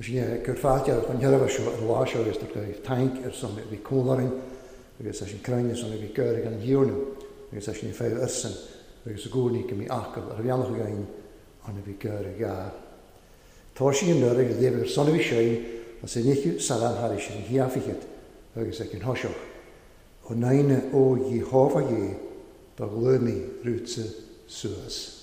Sin é gur fáilte chun thairbhe seo ar lá seo agus gur taink ar son a bhí cúl orainn agus é sin cruinne son a bhí cur ag an Thiarna agus é sin ag feidhm arsan agus i gcónaí go mbí acaill ar bhealach againn an a bhí cur ag a. Tá sí an nuair agus léamh ar son a bhí sé as an fhichiú salam thairis ar an chiafichead agus ag an thoiseach. Ó naine ó Iehova Dhé do ghlaoigh mé rútsa suas.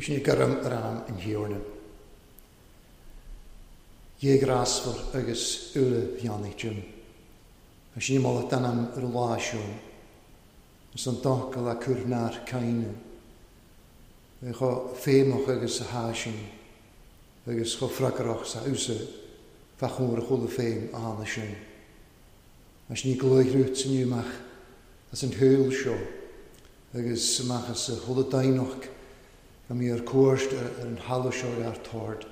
Sin garam ar am an Thiarna. Dhé grásmhar agus uile bheannaigh Jim. Tá sin moladh d'anam ar an lá seo. Is an doc a le cur nár caoineadh. É chomh feidhmeach agus a há sin, agus chomh freagrach 's a fhiúsa fá chomhair a chuala féin a thána sin. Mar sin ní glaoigh Rút inniu amach as an shaol seo agus amach as a chuala deimhneach go mbí ar cuairt ar an thalamh seo ar tord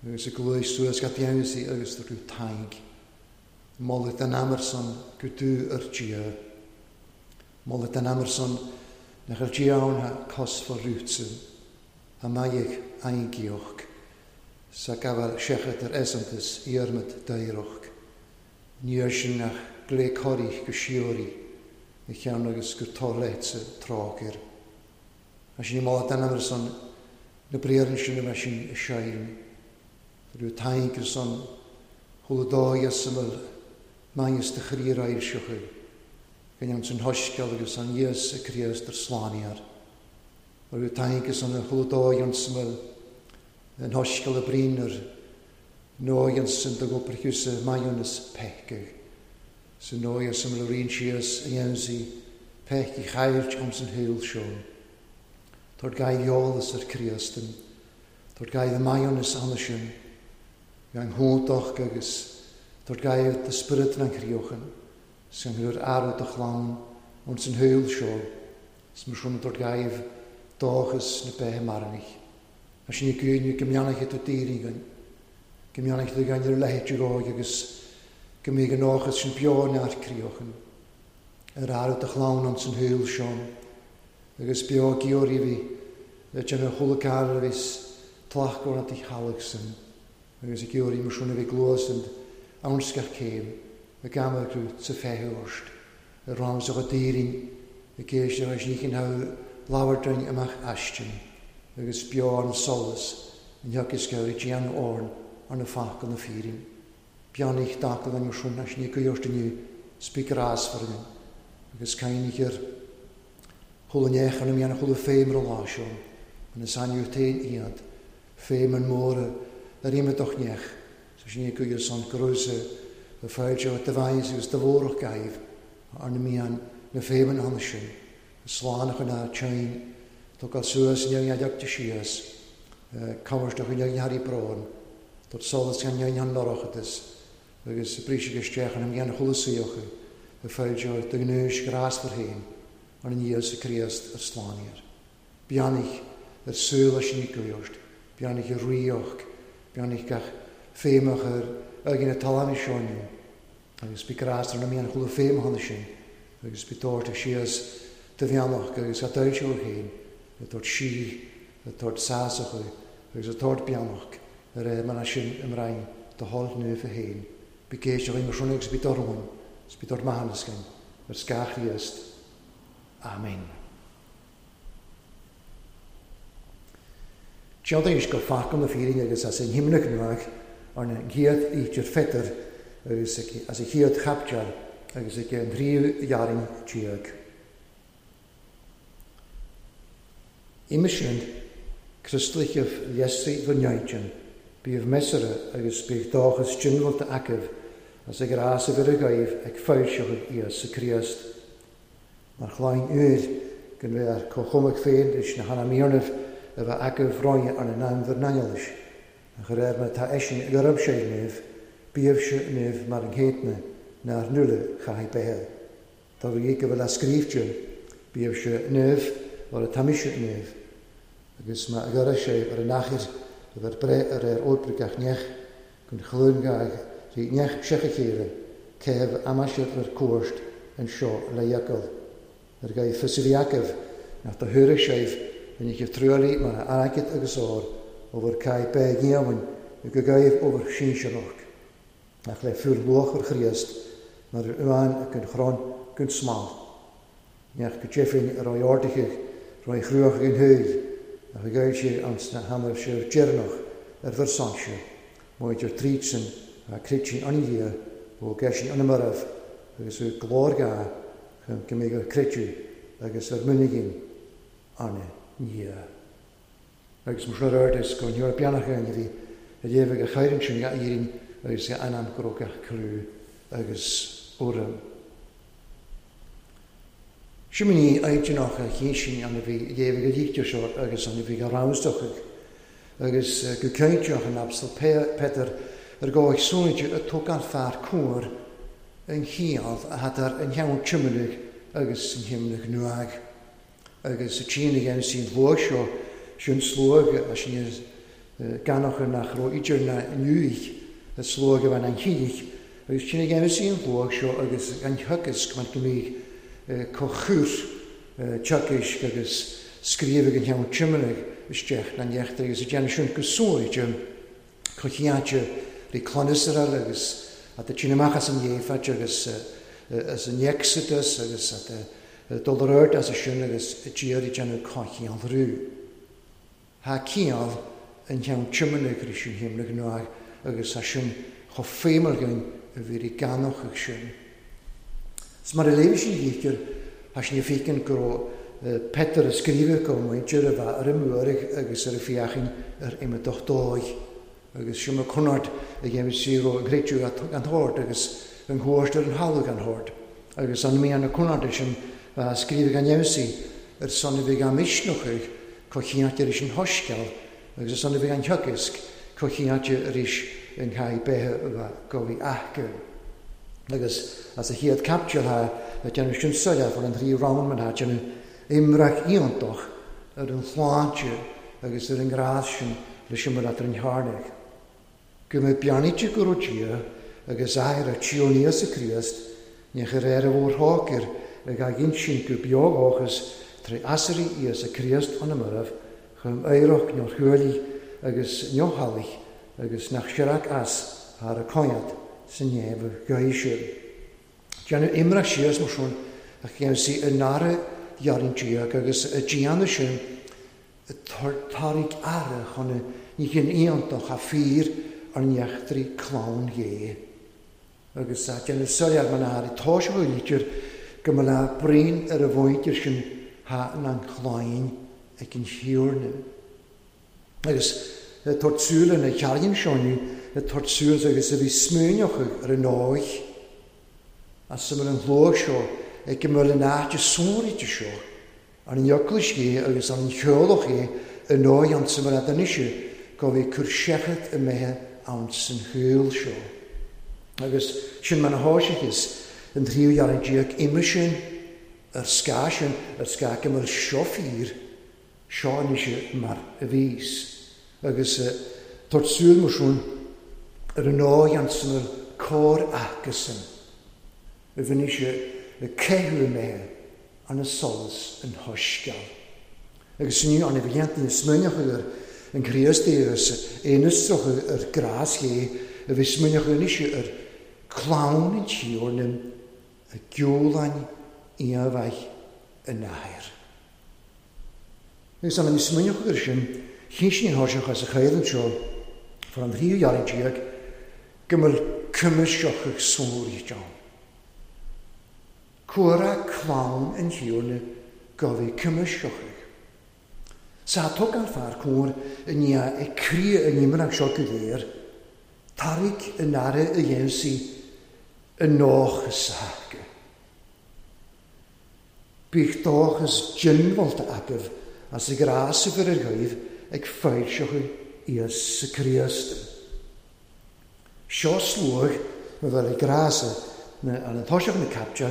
agus a glaoigh suas go deimhneasaí agus do raibh Tadhg. Moladh den Amerson go dú ar Dia. Moladh den Amerson nach ar Dia ann ha cos fá Rútsa, a mbeidh aingíoch sa gabháil seachad ar easaontas iarmad daorach. Níor sin ach glao corraigh go síoraí a cheann agus gur tor leatsa tráth air. Tá sin i moladh den Amerson na briathra sin a bheith sin i seill. Tá raibh Tadhg ar son chuala dóigh as a bhfuil maighneas de chroí ar ailseochaidh. Go ndéan san shoiscéal agus an Íosa Críost ar slánaíoir. Tá raibh Tadhg ar son chuala dóigh ann sa bhfuil an shoiscéal a bríon ar Nóigheann do ghoprchiúsa maionas peicadh. Sa nóighe sa mlarín síos a dhéansaí peic i chailt ón san shaol seo. Tabhair gaidh eolas ar Chríostan. Tabhair gaidh maionas anna sin. Gan hóntach agus tabhair gaidh do spiorad na gcríochan. San gur aire do chlann ón san shaol seo. 'S mar sin tabhair gaidh dóchas na beithe marainich. Tá sin i gcuimhne go mbeannaithe tú daoine go mbeannaithe tú gan ar leithéid agóid agus go mbíodh an dóchas sin beo neart críochan. Ar aire do chlann ón san shaol seo. Agus beo giorraí bhí le déanamh chuile cara a bhí tlachgóir na theaghlaigh san. Agus i giorraí mar sin a bhí gluas an anscach céim a gamargrú sa feithúirt. Ar rang sa daoine i gcéist ar níchin ha labhardrainn amach aistin agus beo an solas an theachas go i déan orn ar na facal na fírin. Beannaich dacal an sin as ní goirt inniu spí grásfar agus cainich ar chuile neach an mian chuile féim ar lá seo an is ainú tain iad féim an mór ar imeadach neach sa sin ní goirt san grúsa a fáilte de bhain agus de mhórach gaibh ar na mian na féimeann anna sin slánach an tein tugáil suas neag de síos cabhairteach an neag Harry Brón tot solas gan neag an lorachtas agus bríse isteach an mian chuile saocha a fáilte de gnúis grásfar féin ar an Íosa Críost ar slániar. Beannaich ar súil sin i gcuirt, beannaich ar ríoch, beannaich gach féimach ar ag na talána seoinú, agus bí grás ar na mian chuile féim hanna sin, agus bí dóirt síos de bheannach agus a dúirt féin, a dúirt sí, a dúirt sásach agus a dúirt beannach ar é mar sin imrein do tháil nuafa féin. Bí géisteach i mar agus bí dormhain, is bí dúirt mahanascan, ar scach Chríost. Amen. Teantaís go facal na fírinne agus as an himnach nuach ar na chéad ítear fetar agus as a chéad chaptear agus ag an tríú dhearn tíag. Ime sin, Criostlichef leisrí go neaitin, bíomh mesara agus bíodh dóchas ginmhalta acaibh as ag rás a bhir a gaibh ag foilseachadh Íosa Críost. Mar chláin uair go bheith ar comhchumach féin leis na hanamírnamh a bheith acaibh roinne ar na naimhar naneolais. A chur ar mar tá eisin ag arab sé naomh, bíomh se naomh mar an chéadna nár nuala chaithfidh beithe. Tá bhí go bhfuil a scríbhte, bíomh se naomh mar a taimise naomh. Agus má agar sé ar an achar a bheith breith ar ar oibre neach gun chlún gaig rí neach secha chéile céh amaisiad ar cuairt an seo le iacail. Ar gaibh fisiríacaibh nach do thuairigh séibh in ich truailí mar a airgead agus ór ó bhur caith beag ghéamhain go gaibh ó bhur sinsearach. Ach le fuair luach ar Chríost mar ar uain ag an chrón gun smal. Neach go deifin ar raibh ardaithe raibh chruach ag an thuill ach a gaibh sé an sna hamar sé deireanach ar bhur sáinse, móidir tríd sin a critsin an dhia ó geisin an marbh agus ó glór ga chun go mbeidh ar creidú agus ar muinigín arna dhia. Agus mar sin ar is go ndeor beannach an bhí a léamh a chaireann sin ga iarrainn agus ga anam go raibh gach clú agus urraim. Simaní aitineach a chésin an a bhí léamh a lítear seo agus an a bhí a ramsdochaigh agus go céinteach an abstal Peter ar gáid súinte a tug an fear cúr an chiall a had ar an cheann tiomanaigh agus an himnach nuag. Agus a trína dhéanamh sin luach seo sin sluag a sin ganach nach raibh idir na nuaich a sluag a bhain an chinnich agus trína dhéanamh sin luach seo agus an thugas go mbeidh comhchúr teacaisc agus scríobh an cheann tiomanaigh isteach na neachtar agus a déanamh sin go suaite cochiáte rí clanasarall agus at tsin amach as an dhéfait agus as an Exodus agus at dul ar as a sin agus a tíar i déanamh cochián rú. Ha ciall an cheann tiomanaigh rí sin himnach nuach agus a sin chomh féimear againn a bhí rí ganach ag sin. 'S mar a léimh sin dhíchir, thá sin féiceann go raibh Peter a scríobhadh go muintir a bheith ar an mbuairg agus ar a fiachain ar imeadach dóigh. Agus sin mar conairt a dhéanfaidh sí ro ag réitiú gan thord agus an chuairt ar an thalamh gan thord. Agus an mbíonn na conartha sin a scríobh gan fheabhsaí ar son a bheidh á misneachadh comhchinnte arís an shoiscéal agus ar son a bheidh an teagasc comhchinnte arís an chaith beithe a gabhadh aithce. Agus as a chéad caipiteal thá ag déanamh sin soiléir for an thrí round man thá déanamh imreach iontach ar an shláinte agus ar an ngrás sin leis an mbealach ar an chearnach. Go mbeidh beannaíte go raibh Dia agus Athair a Tiarna Íosa Críost, ní chuir air a mhór-thrócaire ag á insint go beo dhóchas tré asairí Íosa Críost ó na mairbh chum oidhreacht neothruaillí agus neothalaigh agus nach searrach as thar a coinneád sa neamh ghaoise. Déanadh imreacht síos mar sin a cheansaigh i ndara dhearn déag agus a déanamh sin Tarraig aire chun na nithe iontach a fíor ar n-eachtraí clann Dhé. Agus a déanamh soiléir mar atá i toiseach an litir go mba le braon ar a mhuintir sin thá an chlainn ag an Thiarna. Agus tabhairt súil ar na ceardain seo inniu, tabhairt súil agus a bhí smaoineochaidh ar an ndóigh as a bhfuil an shlógh seo ag go mbeadh an áit is sonraíte seo Ar an eaglais é agus ar an theaghlach é i ndóigh ansa mar atá anois go bhí cur seicheamh imithe ann san shaol seo. Agus sin mar a thoiseachas an tríú dheartháir déag uime sin, ar scáth sin, ar scáth go mbeadh seo fíor, seo anois mar a bhíos. Agus tabhairt súil mar sin ar an ndóigh ansa mar cóir acusan a bhí anois ag caitheamh imithe arna solas an shoiscéal. Agus inniu an bhlianta na smaoineochaidh ar an Chríost é agus é n-oistreochaidh ar grás Dhé a bhí smaoineochaidh anois ar clann an Tiarna a geoláin iomhaith an Athair. Agus an bhí smaoineochaidh ar sin, chinn sí an thoiseach as a chaill anseo for an tríú dheartháir déag go mbeadh cuimsitheach sonraíte ann. Cuireadh clann an Thiarna go bhí cuimsitheach. Sa tógáil fear cóir i ndiaidh ag criadh an imreacht seo go léir, tarraig an aire a dhéansaí i ndóchas a thaca. Bíodh dóchas diongbháilte agaibh as a ghrás a bhur ar dhaoibh ag foilseochadh Íosa Críost. Seo sluagh mo bheith le grás na an toiseach na caipte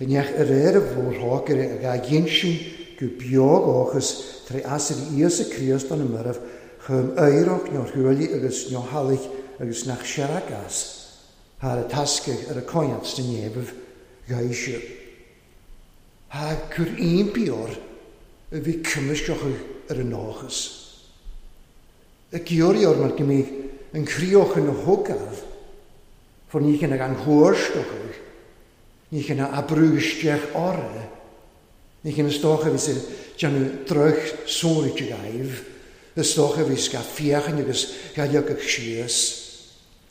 i ndeich a réir a mhór-thrócaire a dhá dh'insin go beo dhóchas tré asairí Íosa Críost do na mairbh chum oidhreacht neothruaillí agus neothalaigh agus nach searrach as thar a tascaigh ar a coinneáil sna neamhaibh ghaoise. Thá cur impí or a bhí cuimsitheach ar an ndóchas. Ag iarraidh or mar go mbíodh an chríoch ina thógáil, for ní chine gan thuairsceochaidh, ní chine a brúdh isteach orra, ní chine is dócha a bhíos ag déanamh droich sonraí agaibh, is dócha a bhíos ga féachaint agus ga leagadh síos.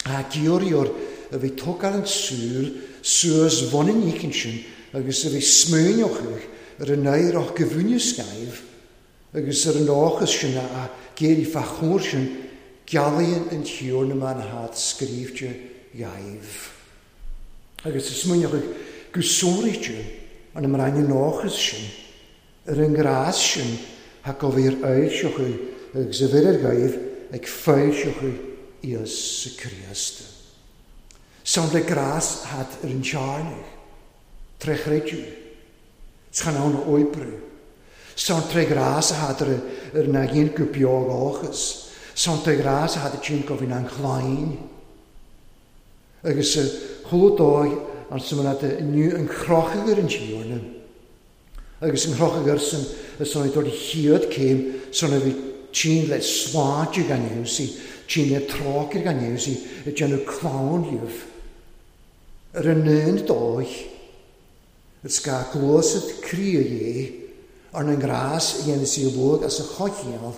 Ag iarraidh or a bhí tógáil an tsúil suas bhun an ícinn sin agus a bhí smaoineochaidh ar an oidhreacht go bhfuinneamh scaimh, Agus ar an dóchas sin a géirí fá chomhair sin gealaíonn an Tiarna mar atá scríbhte dhaoibh. Agus is smaoineochaidh go sonraíte an mbrainn an dóchas sin ar an ngrás sin thá go bhfíor fhoilseochaidh agus a bhfir ar dhaoibh ag foilseochaidh Íosa Críost. Samhlaigh grás atá ar an Tiarna tré chreideamh. Chan ann a oibriú. San tré ghrás a thádar ar na ghin go beo dhóchas. San tré ghrás a thádar tinn go bhinn an chlainn. Agus sa chúl dóigh an sa mná de inniu an chrochadh ar an Tiarna. Agus an chrochadh ar san a san a dtabhairt chéad céim san a bhí tinn le sláinte gan fheabhsaí, tinn le trócaire gan fheabhsaí, ag déanamh clann dhíobh. Ar an aon dóigh. Is gá gluasad croí a dhé, arna ngrás a dhéanas í luag as a choincheall,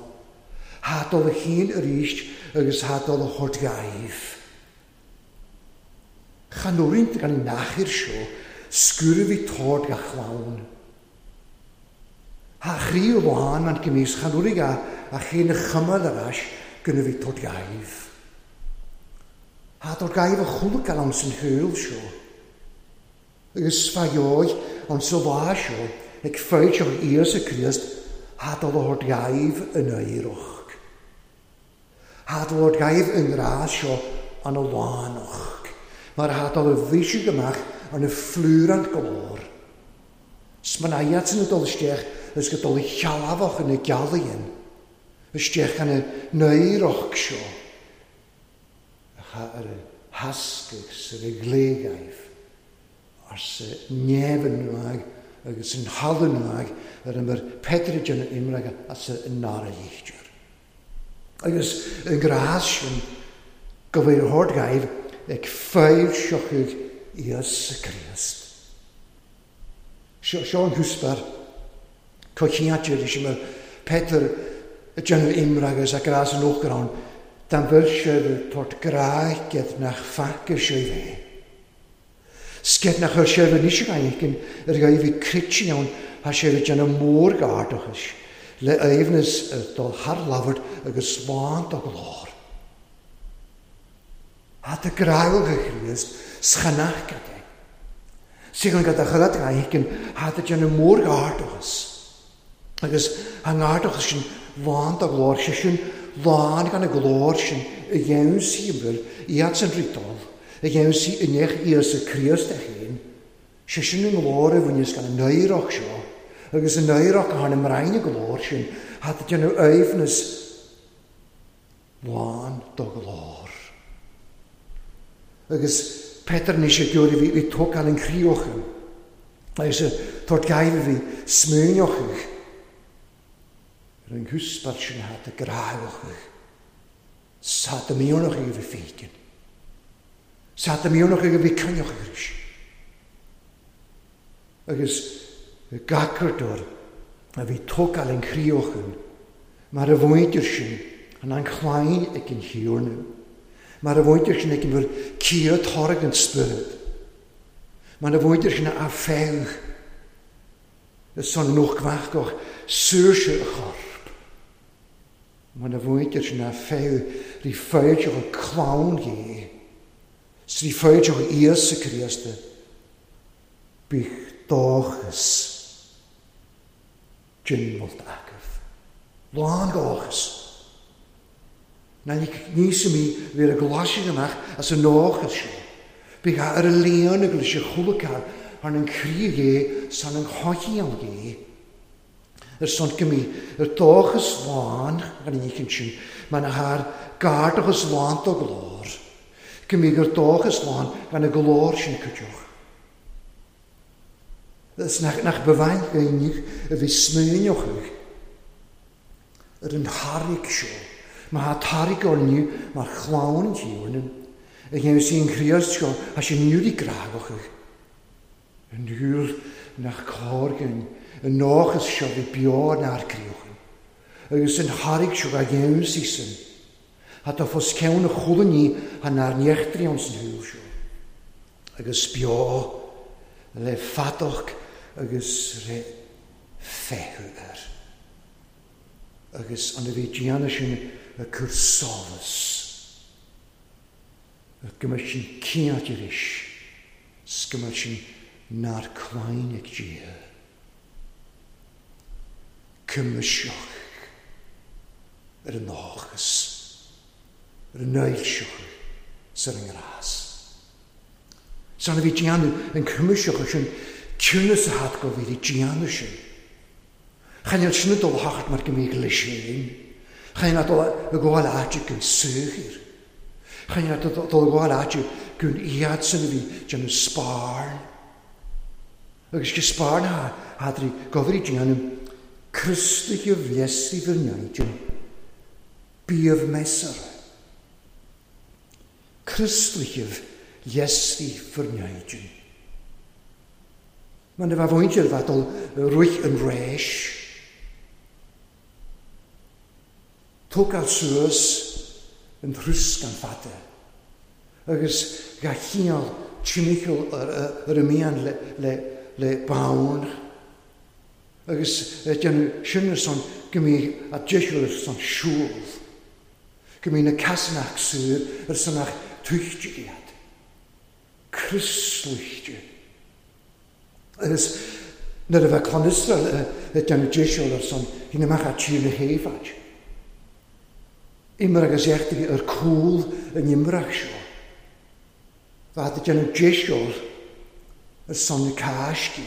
thá dul a chinn arís agus thá dul a thabhairt dhaoibh. Chan fhóireann gan an achair seo sciúradh bhí tord gach clann. Thá a chroí lán man go mbíos chan fhóirfidh a chéin a chumail ar ais go na bhí tord dhaoibh. Thá dul gaibh a chualacal ann san shaol seo, agus fá dheoidh ann sa lá seo ag foilseach Íosa Críost, thá dul a thabhairt gaibh an oidhreacht. Thá dul a thabhairt gaibh an ngrá seo ana lánach, mar thá dul a bhriseadh amach arna phlúrant go leor. 'S man iadsan ag dul isteach is go dul shealbhach ina gceallaighean isteach ina n-oidhreacht seo atá ar a theascadh 's ar a ghléghaibh arsa Neamh nuadh agus an thalamh nuadh ar a mbeir Peadar ag déanamh iomragha as a ndara lichtir. Agus an grás sin go bhfuil a thabhairt dhaoibh ag foilseochaidh Íosa Críost. Seo an cúspar coitianta leis mar Peadar ag déanamh iomragha as a grás an uachtaráin dá mbeir sibh ag tabhairt grá nach faca sibh é. Sceith nach chuir sibh anois a ghaingean ar ghaibh bhí crite ann thá sibh ag déanamh mórghairdachais le aoibhneas ar dul thar labhairt agus lán do ghlór. Thá do grádh a Chríost 's chan fhaca é. Sílim go do chuir ghaingean thá do déanamh mórghairdachas agus thá an ngairdachas sin lán do ghlór, sé sin lán gan an glór sin a dhéanamh sí an bhfuil iad san riotáil, a dhéanamh sí i ndéach Íosa Críost é féin, sé sin an nglór a bhaineas gan an oidhreacht seo agus an oidhreacht a tharna mbrainn an glór sin, thá do déanamh aoibhneas lán do ghlór. Agus Peadar anois ag iarraidh bhí tógáil an chríocha agus a tabhairt gaibh a bhí smaoineochaidh ar an gcúspar sin thá do gráochaidh 's thá do mhiornachaidh a bhí féikin 's thá do mhiornachaidh a bhí coinneochaidh arís. Agus gacardóir a bhí tógáil an chríochan mar a mhuintir sin an an chlainn ag an Thiarna, mar a mhuintir sin ag an bhfuil cíor toradh an Spiorad, mar a mhuintir sin a feadh is son an uachmhachach saoirse a chorp, mar a mhuintir sin a feadh rí foilseach a clann Dhé, 's rí foilseach Íosa Críosta, bíodh dóchas ginmholta agaibh. Lán dóchas. Ná níos mí bhí ar ghlasadh amach as an ndóchas seo. Bíodh ar a líon agus leis a chualacar thar an chroí Dhé 's thar an choicheall Dhé. Ar son go mbí ar dóchas lán gan an oíche sin, mar na thar gairdachas lán do ghlór. Go mbí gur dóchas lán gan an glór sin cuideoch. Is nach ba mhaith dhaoine a bhí smaoineochaidh ar an thairg seo, má thá tairg orainne mar chlann an Thiarna, a dhéanamh sí an Chríost seo, thá sé nuair grághachaidh. An uair nach cóir dhúinn an ndóchas seo bhí beo inár gcríochan, agus an thairg seo dhá dhéanamh sí san, thá do fos ceann a chuala ní thá nár n-eachtraí ann san shaol seo, agus beo le fadach agus le feitheamh air. Agus an a bhí déanamh sin ag cur sólas, go mbeadh sin cinnte arís, 's go mbeadh sin nár clainn ag Dia. Cuimseach ar an ndóchas, ar an fhoilseach 's ar an ngrás. San a bhí déanamh an cuimseach sin ciúnas a theacht go bhí déanamh sin. Chan fheil sin ag dul a thachairt mar go mbíodh leis féin. Chan fheil dul ag gabháil áite gon saothar. Chan fheil dul ag gabháil áite gon iad san a bhí déanamh spáirn. Agus go spáirn ha hadrí gobhairí déanamh Criostaithe bhleasaí bhur n-aighean. Bíodh measartha. Criostaithe bhleasaí bhur n-aighean. Mar na bheadh mhuintir bheadh dul rith an réis. Tógáil suas an troscán fada agus dhá chineál timcheall ar a mian le bonn agus déanamh sin ar son go mbíodh a deisiúr ar son siúl. Go mbíonn na casanach saor ar son ach tuichte iad. Crioslaoite. Agus nuair a bheadh clann Iosrael ag déanamh deiseal ar son, bhí amach as tír na hÉifeacht. Imir agus éachtaigh ar cúl an imreach seo. Bheadh ag déanamh deiseal ar son na Cásce.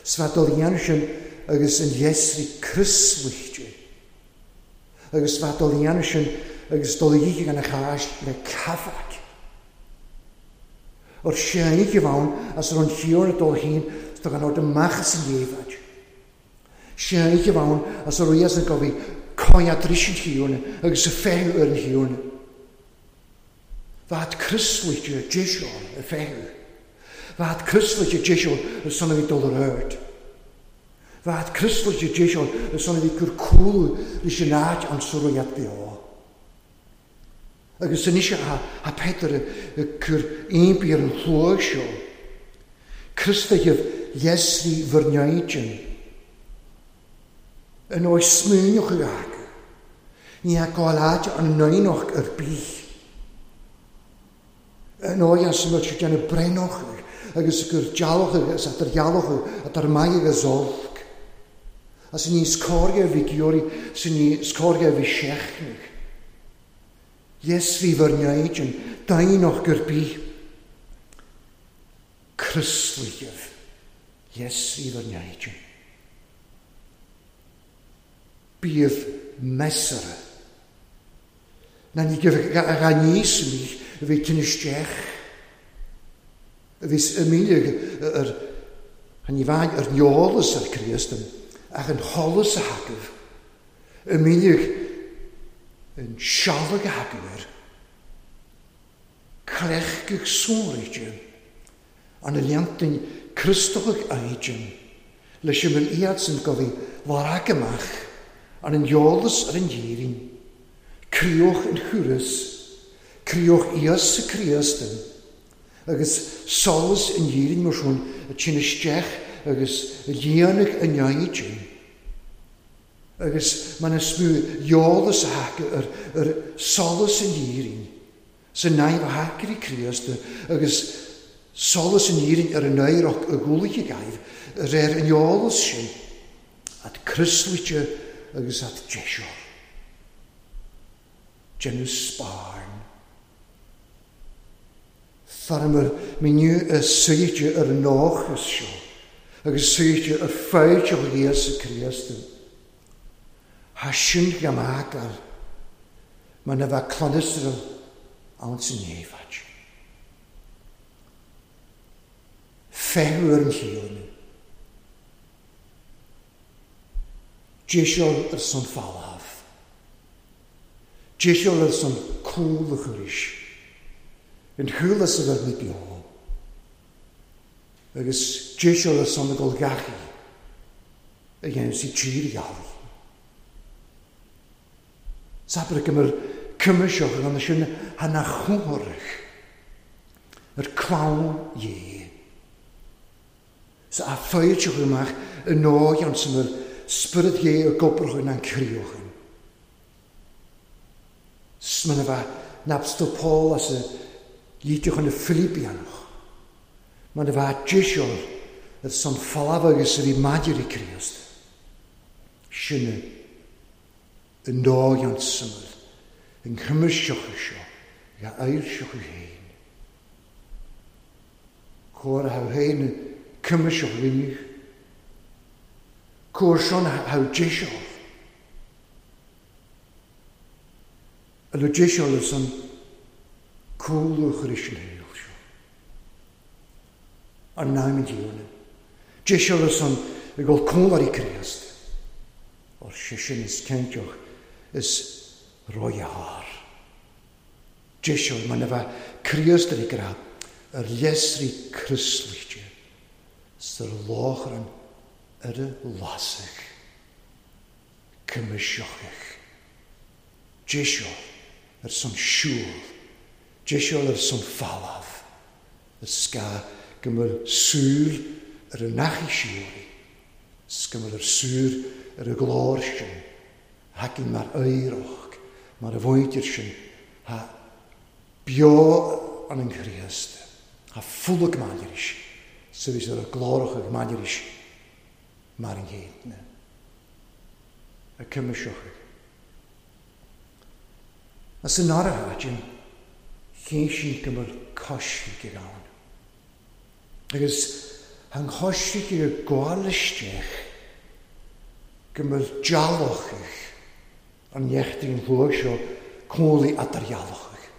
'S bheadh dul dhéanamh sin agus an gheisrí crioslaoite. Agus bheadh dul dhéanamh sin agus dul oíche gan a cháis le caifeac. Or sé oíche ann as raibh an Thiarna dul féin 's do gan ord amach as an ghéibhead. Sé oíche ann as a raibh fhios go bhí coinneáil dris an Thiarna agus a feitheamh ar an Thiarna. Bheadh crioslaoite deiseal a feitheamh. Bheadh crioslaoite deiseal ar son a bhí dul ar aird. Bheadh crioslaoite deiseal ar son a bhí cur cúlú leis an áit an sa raibh iad beo. Agus anois a Peter ag cur impí ar an shlua seo. Criostaithe Dheisrí bhur n-éigin. An oes smaoineochaidh acu. Ní hea gabháil áit an n-aonach ar bith. An oes as a mbeadh siad déanamh breithneochaidh agus ag cur dealbhachaidh agus at ar dhealbhachaidh at ar maith agus olc. As an níos cóirghe a bhí giorraí 's an níos cóirghe a bhí seachnaigh. Dheisrí bhur n-éigin d'aonach gur bith. Crioslaigibh, dheisrí bhur n-éigin. Bíodh measartha. Ná ní ga níos mí a bhí tinn isteach. A bhí a míle ar ní bhain ar neolas ar Críost ach an sholas a thacaibh. A míle an sealg a thacaibh air. Cleachtaigh sonraíte an leantain Criostochaigh éigin leis an bhfuil iadsan go bhí larac amach an an eolas ar an dhírinn, críoch an thuras, críoch Íosa Críostain, agus solas an dhírinn mar sin a tinn isteach agus a líonadh an éigin. Agus mar is mó eolas a thaca ar solas an dhírinn, sa naimh a thacair Críost agus solas an dhírinn ar an éireach a ghualaithe gaibh, ar an eolas sin, at crioslaoite agus at deiseal. Déanamh spáin. Fearamar miniú a suite ar an nóchas seo, agus suite ar fáilteach Íosa Críost. Thá sin go maith mar na bheadh clann Iosrael ann san éifeacht. Feitheamh ar an Thiarna. Deiseal ar son falamh. Deiseal ar son cúl a chuiris. An chúl as a bheith ní beo. Agus deiseal ar son a gol gachaí a dhéanamh sí tír ghealaí. Sabre go cuimiseach gan sin hana chumhrach ar clann dhé. Sa a fáilteach amach i nóigh an san ar spiorad dhé a gobrachan an críochan. Sman a bheith napstó Paul as a líteachan na Filipianach. Man a bheith deiseal ar son falamh agus a bhí maidir i Críost. Sinne i nóigh an samal an chuimiseach seo ga ailseach féin. Cóir a féin cuimiseach rinne. Cóir son ha deiseal. A le deiseal san cúlú chuir sin héil seo. Ar naim díorna. Deiseal san i gcóil cúnlarí Críost. Or sé sin is cinnteach is roiheár. Deiseal man a bheith Críost ar gra ar leisrí crioslaoite sar láchran ar a lasach. Cuimiseachach. Deiseal ar son siúl. Deiseal ar son falamh. Is ga go bhfuil súil ar an nachaí siúlaí. 'S go bhfuil ar súil ar a glór sin. Thacaín mar oireach. Mar a mhuintir sin, tha beo an an Chríost, tha fulag maidiris, sa bhí ar a glóracha maidiris mar an gcéadna. A cuimiseochaidh. As an áirithe, Jim, chéin sin go bhfuil coisric ag ann. Agus an choisric ag gabháil isteach go bhfuil dealbhóchaidh an neachtaí an chluaidh seo cónaí eadardhealbhóchaidh.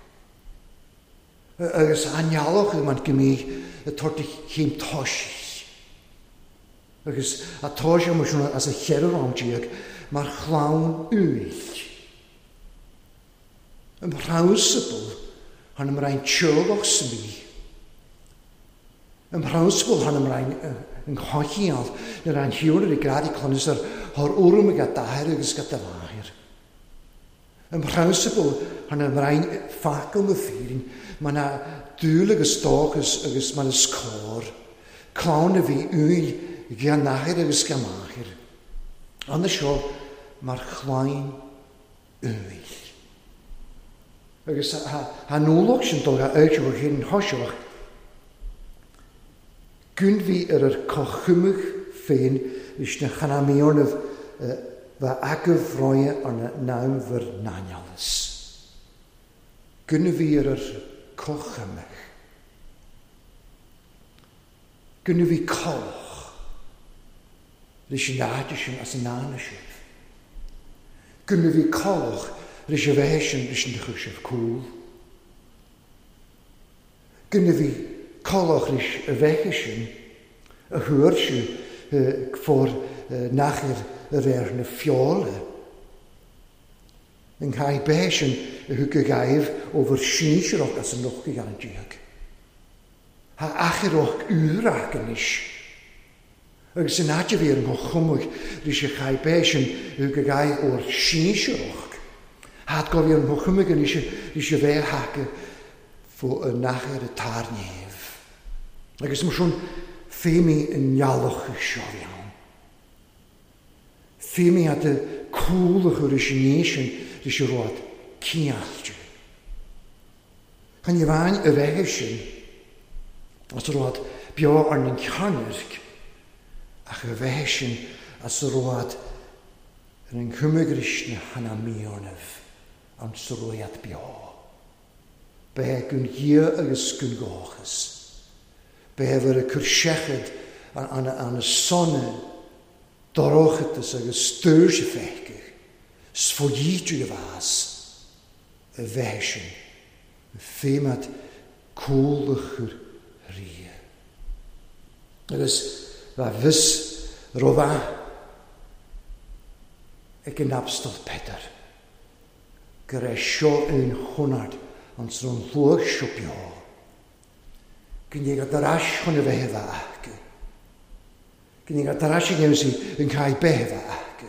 Agus an ndealbhóchaidh mar go mbíodh ag tabhairt a chéim toisí. Agus a toise mar sin as a 14 am mar chlann uill. Yn mhreabhsabal han ymraen teolach smi. Yn mhreabhsabal han ymraen yn chochial na ran hiwr i grad i clonus ar hor wrwm ag daher agus gyda fahir. Yn mhreabhsabal han ymraen ffacl na ffyrin, mae na dŵl agus stoch agus mae'n ysgôr. Clown y fi wyl gan naher agus gan mahir. Ond y sio, mae'r chlain wyl. Agus ha nólach sin dul a áit ó hyn hoiseach. Gwn fi ar yr cochymwch féin leis na chanamíornamh bha agaibh roia ar na naam bhur n-aineolas. Gwn fi ar yr cochymwch. Gwn fi coch leis an áit sin as an ána sibh. Gwn fi coch leis a bheith sin leis an chuir sibh cúl. Gwn fi colach leis a bheith sin a thuair si fór nachir ar ar na fiola. Yn cael beth sin a thug y gaif ó fyr sinsearach as an noch gan diag. Ha achiroch úrach anois. Agus yn áit a bhí ar an chumach leis a chael beth sin a thug y gaif o'r sinsearach. Had go bhí ar an chumach anois leis a bheith haca fó y nachir y tar nef. Agus mar sin féimi yn nealach y seo iawn. Féimi at y cúlach o'r eisiau nésin leis y road ciallte. Chan i bhain y bheith sin as y road beo ar an cearnirc ach y bheith sin as y road ar an chumagris na hana míornamh an sroiad beo. Be gwn hir agus gwn gochas. Be fyr y cwrsechad an y sonne dorochatas agus stŵr sy feicach. Sfodítu a bhas y bheith sin. Féimad cúlachur rí. Agus bha fys rofa ag yn abstol Peter. Gyda sio yn chwnad ond sy'n o'n llwch sio bio. Gyn i gael ais chwn y fe fa ac. Gyn i gael ais i gymsi yn cael be fa ac.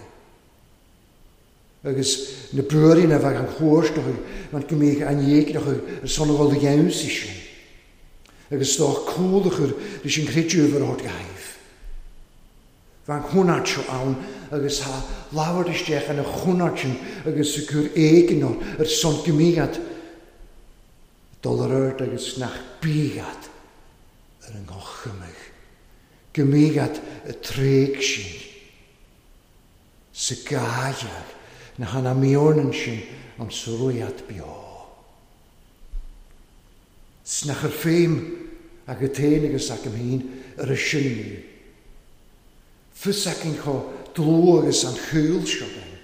Agus na brwyr na fag an chwrs doch mae'n gymig an ieg doch y son o gol iawn si sin. Agus doch cwlach yr leis yn credu fyr o'r gaif. Fan chwnad sio awn agus ha lawr isteach yn y chwnad sin agus y gwr egin o'r yr son gymigad dol yr erd agus nach bigad yr yng Gymigad y treg sin. Sy gaiag na hana miornan sin am srwyad bio. Snach yr ffeim ag y ten agus ac ym hyn yr ysyn ni. Fys ac yn cho dlw agus an chwyl sio ben.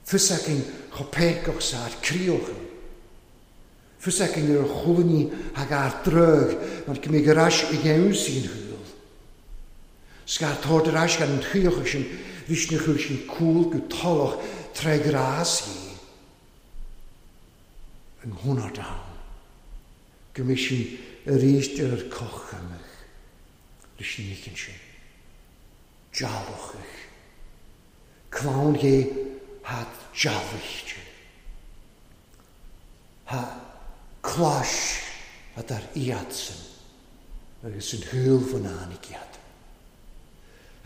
Fys ac yn cho pegoch sa'r crioch. Fys ac yn yr chwlni ag ar drög, mae'n cymryd yr as i iawn sy'n hwyl. Sgar tord yr as gan yn chwioch ysyn, rysnach chwyl sy'n cwl gw toloch tre gras hi. Yng nghwna dawn. Gymryd sy'n yr eist yr coch ymych. Rysyn nicyn sy'n. Jalwch ych. Clawn hi had jalwch. Ha clas ad ar iadsen agus yn hwyl fy na'n i giad.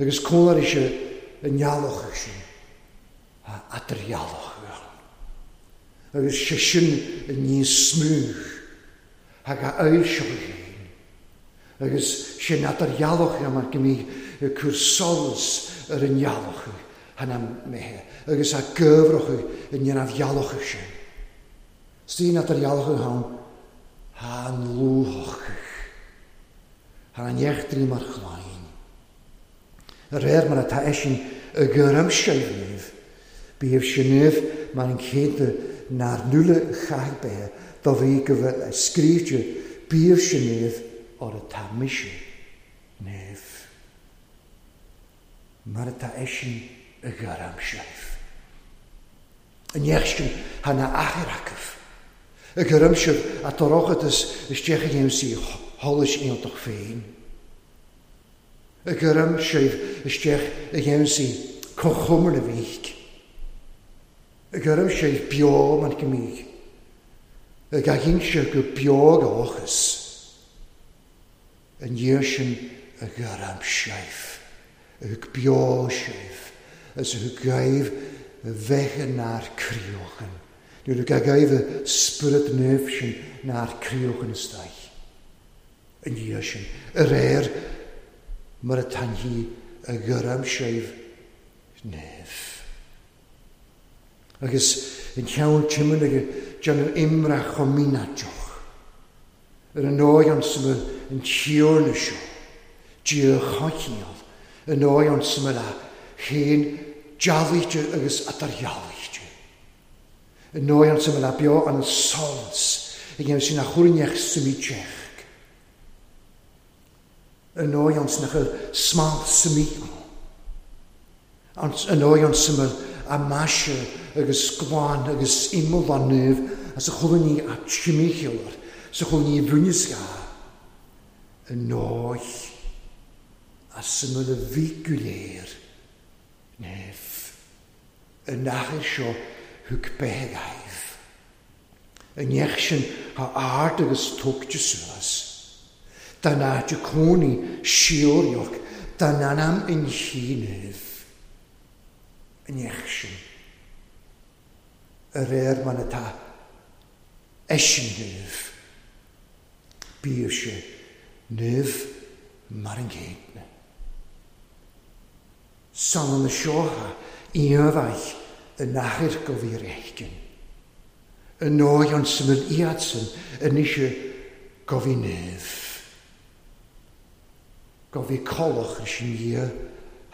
Agus cwlar eisiau yn ialwch eich sin, a adrialwch iawn. Agus sé sin níos smúch ag a fhoilseoidh féin. Agus sin eadar-dhealach é mar go mbíodh ag cur solas ar an ngealach thar na méithe agus a gcuibhreochadh i ndéanamh-ghealach sin. Is eadar-dhealach ann thá an luathach thar an eachtraí mar chlainn. De réir mar atá eisean i gcur-aimsir naomh, bíodh sé naomh mar an chéadna nár nuala chaith beithe do bhí go bhfuil a scríte bíodh sé naomh or atá mise naomh. Mar atá eisean i gcur-aimsir. An éacht sin thá na athair acu. I gcur-aimsir a dorchadas isteach a dhéanamh sí sholais iontach féin. I gcur-aimsir isteach a dhéanamh sí comhchumar na bhíc. I gcur-aimsir beo mar go mbíodh. I gcaithfidh go beo go ochas. An dhiaidh sin i gcur-aimsir. A thug beo sibh is a thug gaibh bheith nár críochan. Nuair a gaibh a spiorad naomh sin nár críochan isteach. An dhiaidh sin, a réir mar atá an hí a gcur-aimsir naomh. Agus an ceann timon ag déanamh imreach chomh mínáideach. Ar an ndóigh an smail an tíorna seo, Dia choicheall, an ndóigh an smail a chéin dealaíte agus atardhealaíte. An ndóigh an smail a beo an solas a dhéanamh sin a chuirneach suimíteach. An ndóigh an sna smál suimí an ndóigh an smail a maise agus glan agus imeall an naomh as a chulaní a timícheallar sa chulaní bhuineasca an ndóigh a smail a bhí go léir naomh. An athair seo thug beithe gaibh. An neach sin a ard agus tógte suas. Dan áit a cónaí síorioch dan anam in chínaimh. An neach sin. A réir man atá eisean naomh. Bíodh sé naomh mar an gcéadna. San na seotha íomhaith yn athair go bhí réicin. Yn ndóigh an symud iadsan yn eisiau go bhí naomh. Go bhí colach leis an Dhia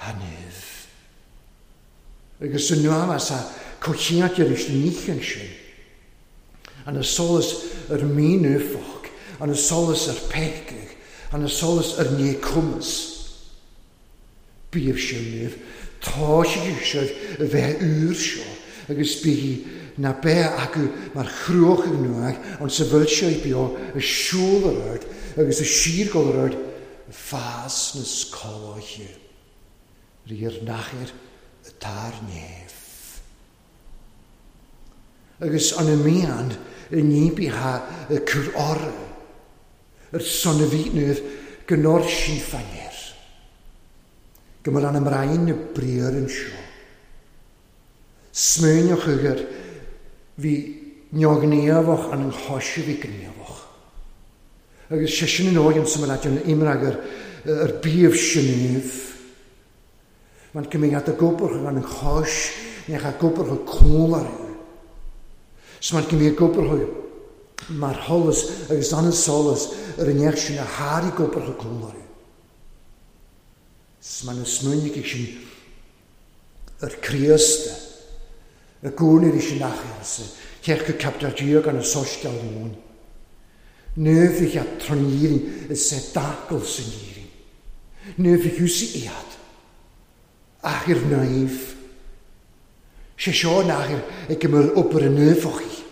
ha naomh. Agus yn nuamas a cochiant ar eis níchan sin. An y solas yr mínufoch, an y solas yr pecig, an y solas yr ní cwmys. Bíodh sé naomh, tá sé seo a bheith úr seo, agus bí na beith acu mar chrúach ag nuach an sa bhfuil sé beo a siúl ar ard agus a síorgol ar ard fás na scoláithe. Ríor nachair atá néamh. Agus an y mian y níbi ha y cur orau yr son y naomh gynnor sin ffair. Gymryd an ymraen y briar yn sio. Smwynioch ygyr fi niogniafach an ynghosi fi gniafach. Agus sé sin yn oed yn symud yn imrag yr bíf sinif. Mae'n cymryd y gwbwrch an ynghosh, neu a gwbwrch y cwl ar yw. So mae'n cymryd gwbwrch mae'r holas agus an solas yr ynech sin a har i gwbwrch y cwl ar yw. So mae'n ysmwynig i sin yr Christ, y gwn i'r eisiau nachers, cech go captar diog an y sosgal nhw'n. Nöf ich at tronirin is se dacl sy'n irin. Nöf ich hwsi iad. Ach i'r naif. Sé seo nachir ag gymryd ober y nöfoch chi.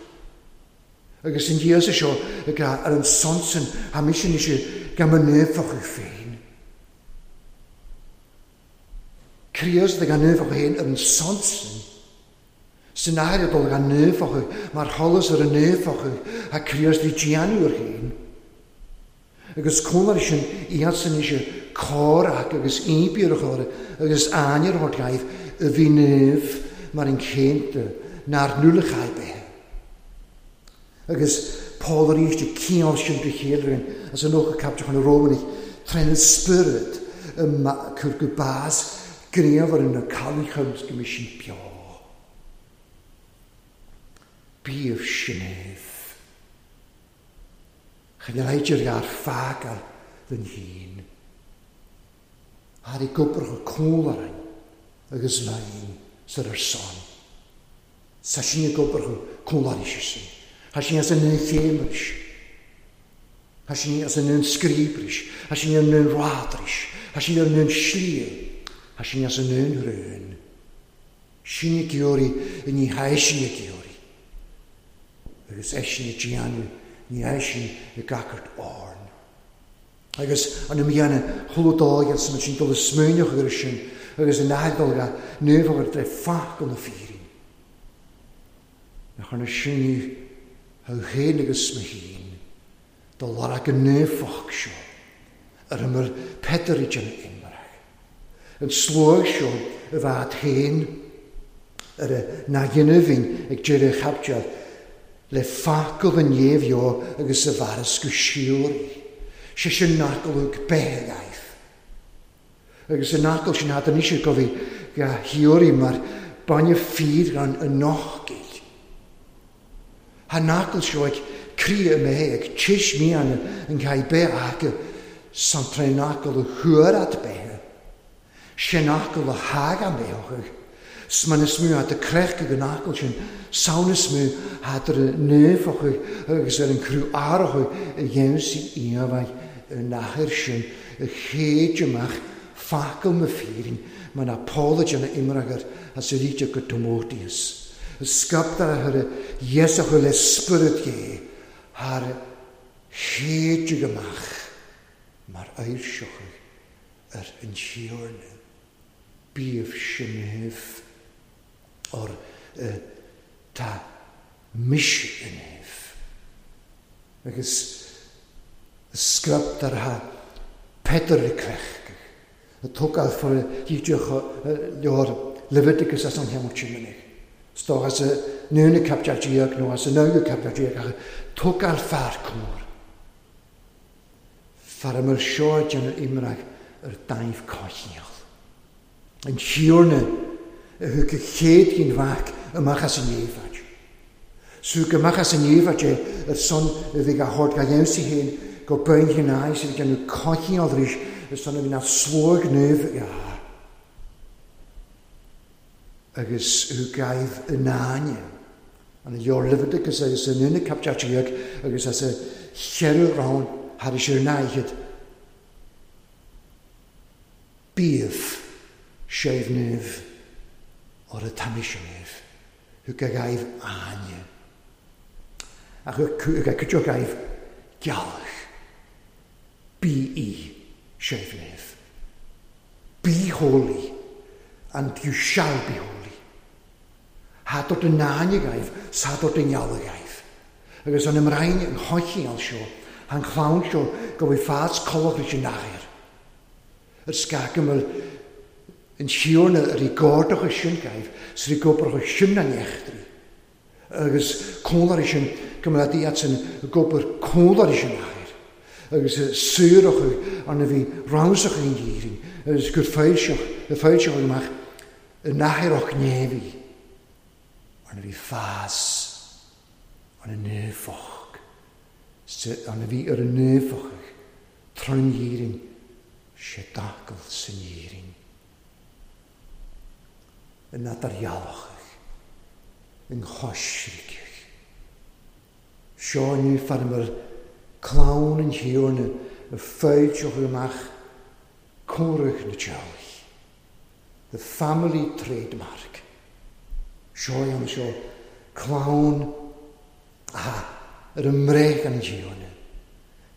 Agus yn dias seo ag ar an sonsen ha mis eisiau gam y nöfoch chi féin. Crios ag an nöfoch hyn ar an sonsen. Sy'n air dod gan nöfoch mae'r holas ar y nöfoch a crios di gianw yr hyn. Agus cwmar sin iad sy'n eisiau cor ac agus íbír a chóir agus áinir hort gaibh y fi nöf mar yn cénta na'r nulachau be. Agus Paul arís ag cineál sin de chéile as an nócha caipteach na Rómhanaigh trína spiorad cur go bás grianmhar na cailíocha go mbeidh sin beo. Bíodh sin éibh. Chan fheil idir ar fágáil den fhéin. Thar i gcobracha cúlarainn agus lainn sar ar son. Sa sin i gcobracha cúlaraí sin. Thá sin as an chéimris. Thá sin as an scríbris. Thá sin ar an rádris. Thá sin ar an slí. Thá sin as an rún. Sin i gceoirí i ní haisin i gceoirí. Agus eisin i déanamh ní eisin i gcacart árn. Agus an mianna chulúdáigh san sin dul smuoineach ar sin agus an aidolga nuamh ar fach na fírin. Nach arna sinní ha chéin agus sna hín do lara go nuafach seo ar ymyr Pedr i dyn imrach. Yn slwag seo y fad hen ar y na gynnyfin ag dyrru chabdiad le ffacol yn iefio agus y faras go siwr. Se sin nacol begaeth. Agus y nacol sy'n had yn eisiau gofi ga hiwri mae'r bain ffydd gan y nochgil. Ha nacol seo ag crí y me ag tis mian yn cael be ag san tre nacol y hwyr be. Se nacol y hag am beochach. Sman is mú at y crech ag an acol sin, sawn is mú hat ar y nefach agus ar an crú arach y dhéanamh si iamhaith y nachar sin y chéid amach facal na fírin ma na Paul na imragar as y ríte go Timotheus. Y sgaptar a thar Iesach le spirit gé har chéid amach mar airseoch ar an siorna. Bíomh sin or tá mis in hef. Agus sgraptar ha Peter y crech. Y tógáil for dídeach leor Leviticus as an heamú sin Stó as y núna captear nó as y nága captear ach tógáil fear cór. Far ymwyr seo dyn yr imrag yr daif cochiol. Yn siwrna y hwg y chéad gyn fach ymach as yn iefad. Sŵg ymach as yn iefad e, yr son y fi ga hord ga iawn si hen, go bain hyn ai sydd gen nhw cochiol rys, y son y fi na slwg nef ia. Agus hw gaif y nania. An y leor Leviticus agus yn unig captear agus as y cheru rawn har is yr naigid. Bíomh séibh nef o'r y tamisio nef. Hw gaif ania. Ach hw ga gaif gealach. Bí i séibh nef. Be holy, and you shall be holy. Ha dod yn nania gaif, sa dod yn iawl gaif. Agus an ymraen yn hoichial sio, han chlawn sio, go fi ffas colog rys yn acher. Yr sgag ymwyl yn siwr yr i gordoch y sy'n gaif, sy'n i gobroch y sy'n an echdri. Agus cwlar i sy'n gymryd at yn gobr cwlar i sy'n acher. Agus sŵroch an y fi rawsach yn geirin. Agus gwr ffeilsioch, y ffeilsioch ymach, y nacher o'ch nefi. An y fi ffas, an y nefoch. An y fi yr y nefoch, tron geirin, sé dacl sy'n geirin. Yn nadarialach, yn choisrigach. Seo ni ffarmar clawn yn hiwrn y ffeidioch ymach cwrach na teach. The family trademark. Seo am seo clawn a yr ymreg yn hiwrn.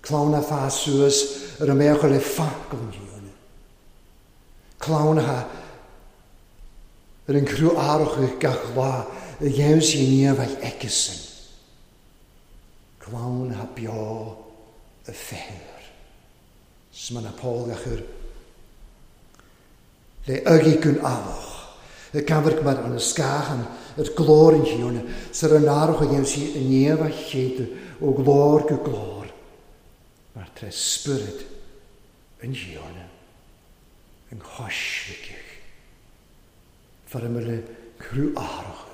Clawn a ffa suas yr ymech le ffac yn hiwrn. Clawn a yr yn crw aroch y gach la y iawn sy'n ni efall egysyn. Clawn ha bio y ffeir. Sma na Paul gach yr le ygi gwn aloch. Y camhair mar an scáthan ar glór an Thiarna, sar an áireach a dhéanamh sí i ndiaidh a chéide ó ghlór go glór, mar tré Spiorad an Thiarna, an choisricfidh. Fear le cruth árachadh,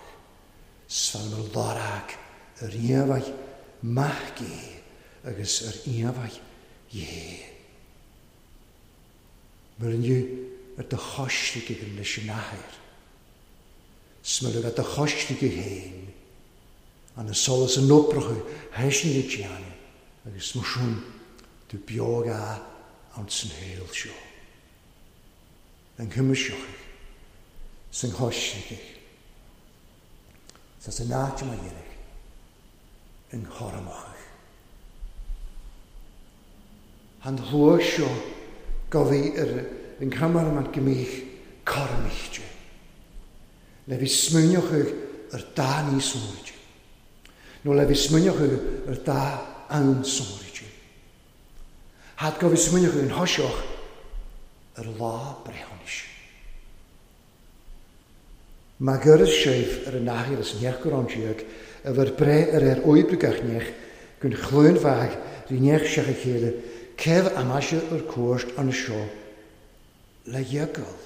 's fear mar lorg ar íomhaigh maith Dé agus ar íomhaigh Dhé. Mar inniu ar do choisricfidh leis an Athair, 's mar a do choisricfidh féin, an solas an oprachadh thaisin le déanamh agus mar sin tú beag a ann san shaol seo. An chuimseochaidh san choisricfidh sa san áit mar dheireadh an chormochaidh. An shlua seo gabhaidh ar an cameraman go mbíodh cormaíchte. Le bhí smaoineochaidh ar dá ní sóirde. Nó le bhí smaoineochaidh ar dá ann sóirde. Had go bhí smaoineochaidh an thoiseach ar lá breithiúnais. Má gcuireas sibh ar an athair is neach go raibh déag, a bhur breith ar ar oibriú gach neach, gun chluain mhaith rí neach seach a chéile, céibh amaise ar cuairt an seo le dheagal.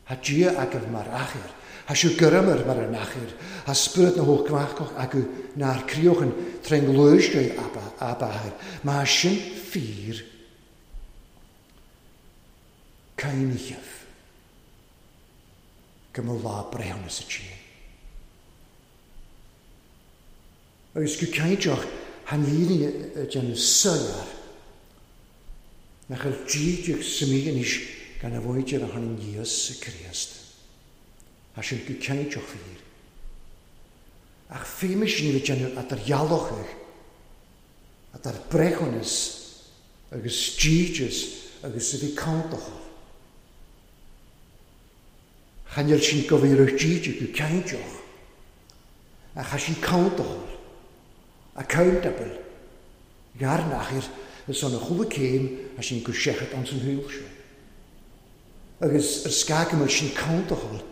Thá Dia agaibh mar athair, thá sibh guramair mar an athair, thá spiorad na hócmhacach agaibh nár críochan trén ngluais ab athair. Má sin fíor, caoincheamh go mba lá breithiúnas a Dia. Agus go cinnteach than fhírinne a déanamh soiléir nach bhfuil dídeach sa mí anois gan a mhuintir a tháinig Íosa Críost. Tá sin go cinnteach fíor. Ach féimis ní le déanamh eadar-dhealachadh, eadar breithiúnas agus dídeas agus a bhí countachal. Chan fheil sin go bhí raibh díde go cinnteach, ach tha sin countachal, accountable, gar nachair is ann a chuala céim tha sin go seachad ann san shaol seo. Agus ar scag go mbeadh sin countachal,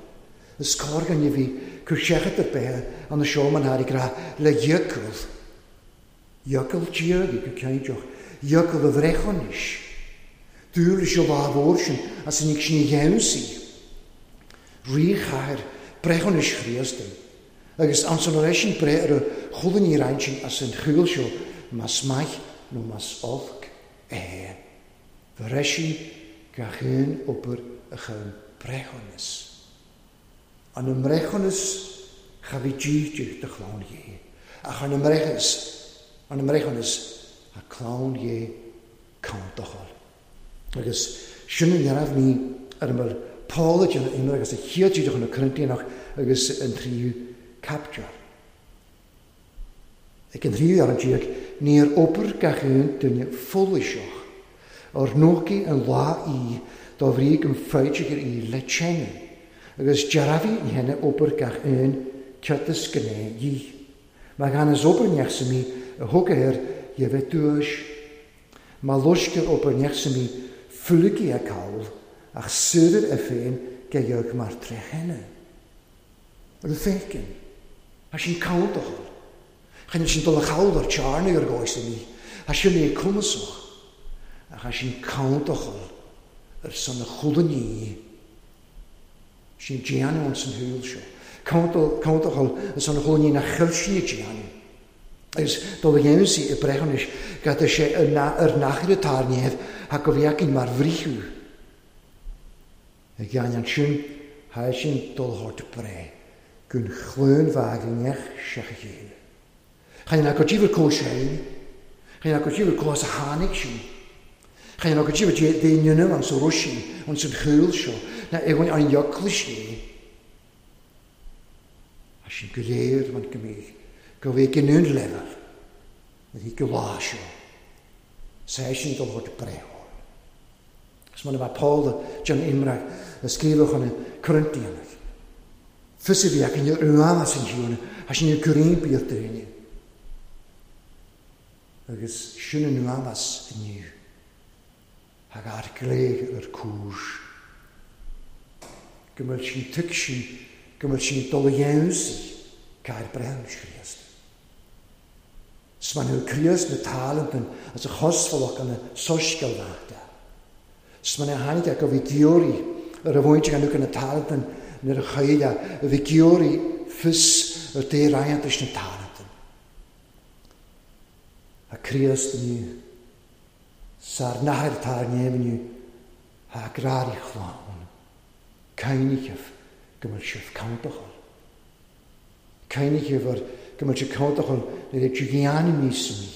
is cóir go bhí cur seachad ar bith ann seo man thar ag rá le dhíocal. Fhiacail Dia go cinnteach, fhiacail a bhreithiúnais. Dúil leis an lá mhór sin as an sin a gheansaí. Ríchathair breithiúnais Chríost é. Agus ansan ar eisean breith ar a chuala ní roinnt sin as an chúl seo, más maith nó más olc é. Bhreisigh gach aon obair a chum breithiúnas. An i mbreithiúnas cha bhí díth do chlann Dhé, ach an i mbreithiúnas, an i mbreithiúnas a clann Dhé countachal. Agus sin an neamhní ar a bhfuil Paul ag déanamh imir agus a chéad díreach chun na Corintianach agus an tríú caipiteal. Ag an tríú fhearann déag, níor obair gach aon duine foilseach, ar nóchaí an lá í dá bhrí go bhféadfadh í le teine, agus dearbhaigh an theine obair gach aon ceart is gné dhi. Má gan is obair neach sa mí a thug air dhe bheith duais. Má loiscear obair neach sa mí fuilgí a call, ach saorar é féin ge dheag mar tré theine. Ar an féiceann. Tá sin countachal. Chan sin dul a chall ar tearnaigh ar gcóis ní. Tá sin é cumasach. Ach tá sin countachal ar son a chulainní. Sin déanamh an san shúil seo. Countachal ar son a chulainní nach chuil sin ag déanamh. Agus dul a dhéanamh sí i breithiúnais gad sé ar nachar atá ar neamh ach go bhfeicinn mar bhriathú. Ag an ansin, tha sin dul thart breith gun chluain bhag neach seach a chéile. Chan go dtíbhar có sé, chan go dtíbhar có as a tháinig sin. Chan go dtíbhar dé nunamh an sa Ruisi, an san chúl seo, na éagain an eagla sé. A sin go léir man go mbíodh go bhí giniúint leibhéal a bhí go lá seo. Sé sin dul thart breith. Is mar a bheadh Paul John Imrach a scríobhadh chun na Corintianach. Fios a bhí acu ní raibh as an Tiarna, as sin ar gcoimpíocht daoine. Agus sin an uamas inniu. Thug ár gcléir ar cúis. Go bhfuil sin tuigsin go bhfuil sin ag dul a dhéanamh cair breithiúnais Chríost. 'S man hu Críost na talantan as a chosmhalach an soiscéal bheachta. 'S man a tháinig a go bhí giorraí ar a bhaint gan uca na talantan nuair a chaill a a bhí giorraí fios ar dé raigheantais na talantan. A Críost inniu, 'S ár n-athair atá ar neamh inniu, thá grárí chlann. Caoincheamh go bhfuil sibh countachal. Caoincheamh ar go bhfuil sibh countachal nuair a dhéanann níos mí,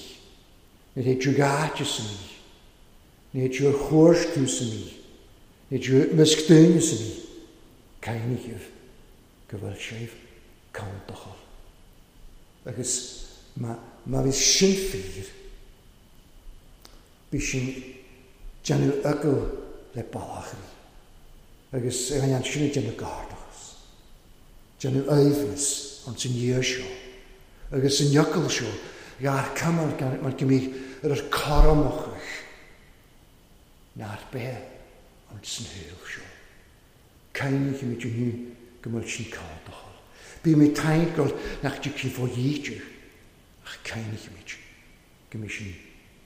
nuair a dhéanann sa mí, nuair a dhéanann chuairt tú sa mí, nuair a dhéanann measc daoine sa mí. Caoincheamh go bhfuil sibh countachal. Agus má bhí sin fíor, bhí sin déanamh fhocal le balachairí agus ag an sin ag déanamh gairdachas, déanamh aoibhneas ins an dhiaidh seo agus san fhocal seo ghearr cuimil mar go mbíodh ar ar cothromachaidh nár bith ins an shaol seo. Cainnímid inniu go bhfuil sin cádachal. Bímid taingeal nach dtiocfaidh fó dhíte ach cainnímid go mbeidh sin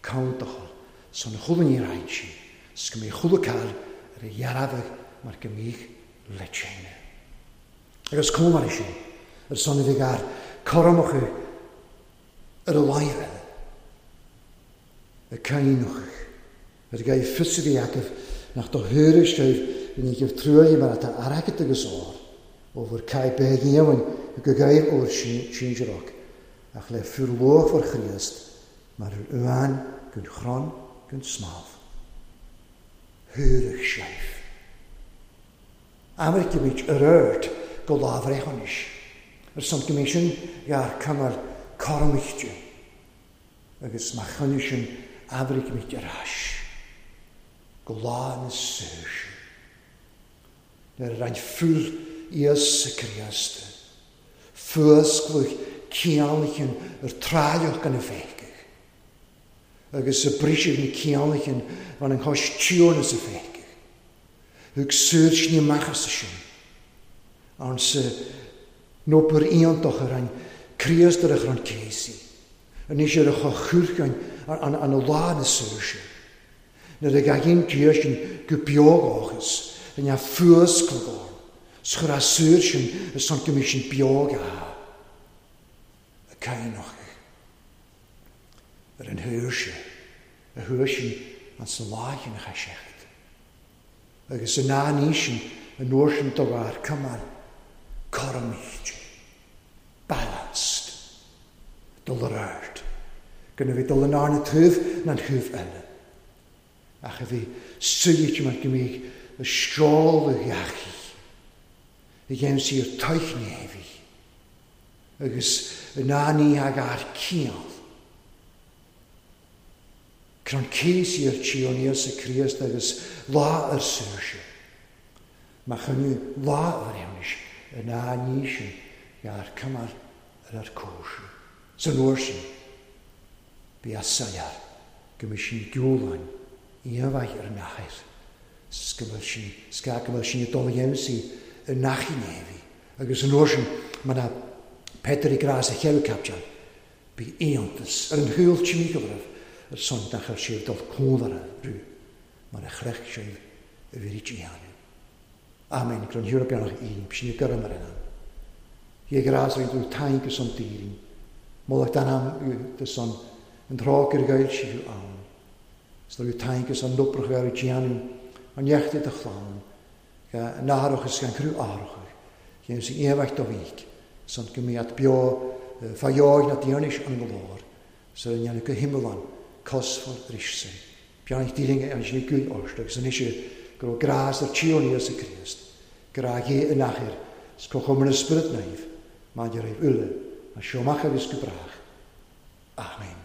countachal san chuile ní raibh sí, 's go mbeidh chuile cáil ar a dhearbhadh mar go mbíodh le tine. Agus comh mar sin, ar son a bheidh ár cothromacha ar a láimh eile, ag caoineachadh, ar ghaibh fios a bhí agaibh nach do thuairisc sibh i ndiaidh truaillí mar atá airgead agus ór, ó bhur caith beag aoibhinn go gaibh ór sinsearach, ach le fir luachmhar Chríost mar ar uain gun chrann gun smámh. Thuairisc sibh. Aimricimid ar aird go lámhbhreithiúnais, ar son go mbeidh sin ghearr cumair cothromaíte, agus má choinne sin aimricimid ar ais go lá na saoirse, nuair a roinn fuil Íosa Críost fuascladh cianlaithin ar tráilleach gan a bhfeiceadh, agus a briseadh na cianlaithin bhain an chois tiúrna sa bhfeiceadh. Thug saoirsní amach as sin, ann sa n-obair iontach a roinn Críost ar a chrann céasaí, anois ar a choth an an lá na saoirse. Nuair a ghaibhinn Dia sin go beo dhóchas, rinne fuascladh orm, 's chuir a saor sin ar son go mbeidh sin beo ga a caoineadh ar an shaoirse a chuaigh sin an sa lá sin a chaith seachad. Agus in ann í sin an uair sin do bharr cumair cothromaíte, balanced, dul ar aird, gan a bheith dul in arna taobh ná an thaobh eile, ach a bheith suite mar go mbeidh a seoladh dheachaigh a dhéanamh siar toichnéimhigh agus in ann í a ghair ciall. Crann cíos iar Tsión Íosa Críost agus lá ar saoirse. Má choinniú lá a bhreithiúnais in á ní sin ghearr cumar ar ar cóisir. San uair sin bí a soiléir go mbeidh sin giúláin aon mhaith ar an athair 's go bhfuil sin 's go bhfuil sin ag dul a dhéanamh sí i ngach gnéimhí agus an uair sin muna Peter i grás a cheithre captean Bhí iontas ar an shaol timpeall oraibh ar son nach raibh sibh dul cónra rú mar a chreach sibh a bhí déanamh. Amen. Gron Hira beannach Aoine, b'shin i gcoram ar an am. Dhé grás ar tú taing son daoine. Moladh dan am de son an tráth gur ghail sí thú ann. 'S do taing son noprach ar déanamh an neachtaí do chlann. Ga nathrach is gan crú athrach. Dhéanamh sí aon do bhíc. Son go mbeadh beo fá dheoidh na dtiarnais an ghlór, sar a ndéanadh go hiomlán cosmhar arís sin. Beannacht Dé linn ansin i gcúil ort agus anois go raibh grás ar Tiarna Íosa Críost, grá Dhé in athair 's comhchumar na Spiorad Naomh maidir raibh uile, as seo amach agus go brách. Amen.